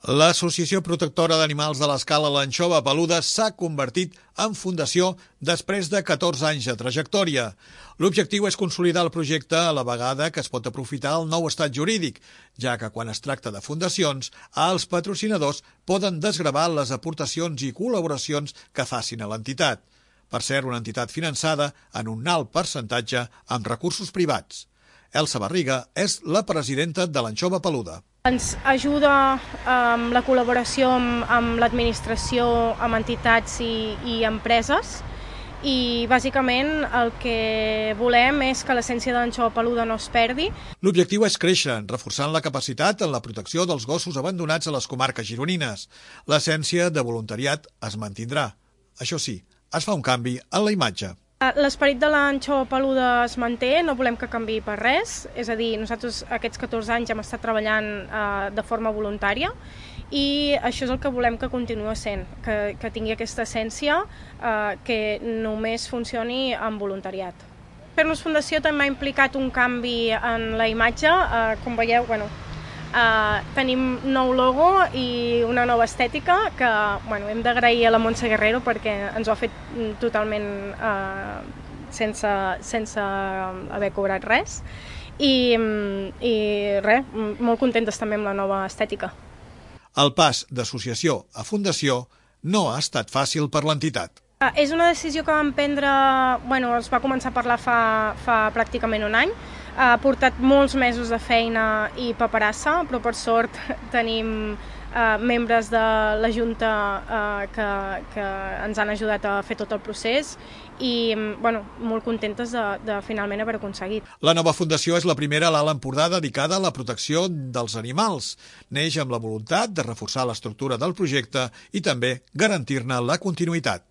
L'Associació Protectora d'Animals de l'Escala l'Anxova Peluda s'ha convertit en fundació després de 14 anys de trajectòria. L'objectiu és consolidar el projecte a la vegada que es pot aprofitar el nou estat jurídic, ja que quan es tracta de fundacions, els patrocinadors poden desgravar les aportacions i col·laboracions que facin a l'entitat, per ser una entitat finançada en un alt percentatge amb recursos privats. Elsa Barriga és la presidenta de l'Anxova Peluda. Ens ajuda amb la col·laboració amb l'administració, amb entitats i empreses, i bàsicament el que volem és que l'essència de l'Anxova Peluda no es perdi. L'objectiu és créixer, reforçant la capacitat en la protecció dels gossos abandonats a les comarques gironines. L'essència de voluntariat es mantindrà. Això sí, es fa un canvi en la imatge. L'esperit de l'Anxova Peluda es manté, no volem que canviï per res, és a dir, nosaltres aquests 14 anys hem estat treballant de forma voluntària i això és el que volem que continuï sent, que tingui aquesta essència que només funcioni amb voluntariat. Fer-nos Fundació també ha implicat un canvi en la imatge, com veieu, tenim nou logo i una nova estètica que hem d'agrair a la Montse Guerrero perquè ens ho ha fet totalment sense haver cobrat res i res, molt contentes també amb la nova estètica. El pas d'associació a fundació no ha estat fàcil per l'entitat. És una decisió que vam prendre, es va començar a parlar fa pràcticament un any. Ha portat molts mesos de feina i paperassa, però per sort tenim membres de la Junta que ens han ajudat a fer tot el procés i molt contentes de finalment haver aconseguit. La nova fundació és la primera a l'Alt Empordà dedicada a la protecció dels animals. Neix amb la voluntat de reforçar l'estructura del projecte i també garantir-ne la continuïtat.